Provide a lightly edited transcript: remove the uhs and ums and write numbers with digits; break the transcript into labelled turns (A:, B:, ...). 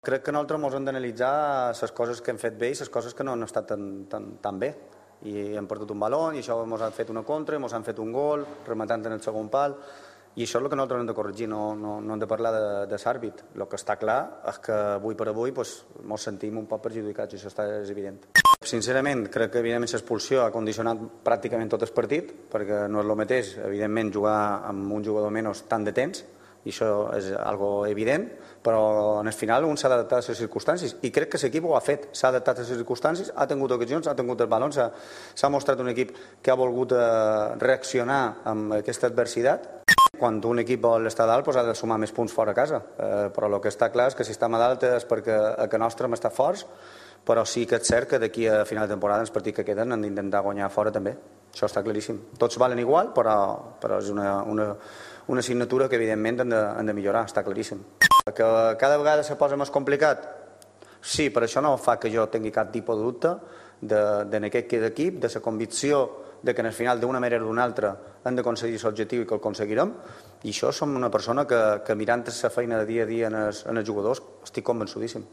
A: Crec que nosaltres ens hem d'analitzar les coses que hem fet bé i les coses que no han estat tan bé. I hem perdut un baló, i això ens han fet una contra, ens han fet un gol, rematant en el segon pal, i això és el que nosaltres hem de corregir, no hem de parlar de l'àrbit. El que està clar és que avui per avui ens sentim un poc perjudicats, i això és evident. Sincerament, crec que evidentment l'expulsió ha condicionat pràcticament tot el partit, perquè no és el mateix, evidentment, jugar amb un jugador menys tant de temps, i això és algo evident, però en el final un s'ha d'adaptar a les circumstàncies, i crec que l'equip ho ha fet, s'ha adaptat a les circumstàncies, ha tingut ocasions, ha tingut els balons, s'ha mostrat un equip que ha volgut reaccionar amb aquesta adversitat. Quan un equip vol estar dalt ha de sumar més punts fora a casa, però el que està clar és que si estem a dalt és perquè a que nostre hem estat forts, però sí que és cert que d'aquí a final de temporada els partits que queden han d'intentar guanyar fora també, això està claríssim. Tots valen igual, però és una assignatura que evidentment han de millorar, està claríssim. Que cada vegada se posa més complicat? Sí, per això no fa que jo tingui cap tipus de dubte en aquest equip, de la convicció de que en el final d'una manera o d'una altra hem d'aconseguir l'objectiu i que el aconseguirem, i això som una persona que mirant la feina de dia a dia en els jugadors estic convençudíssim.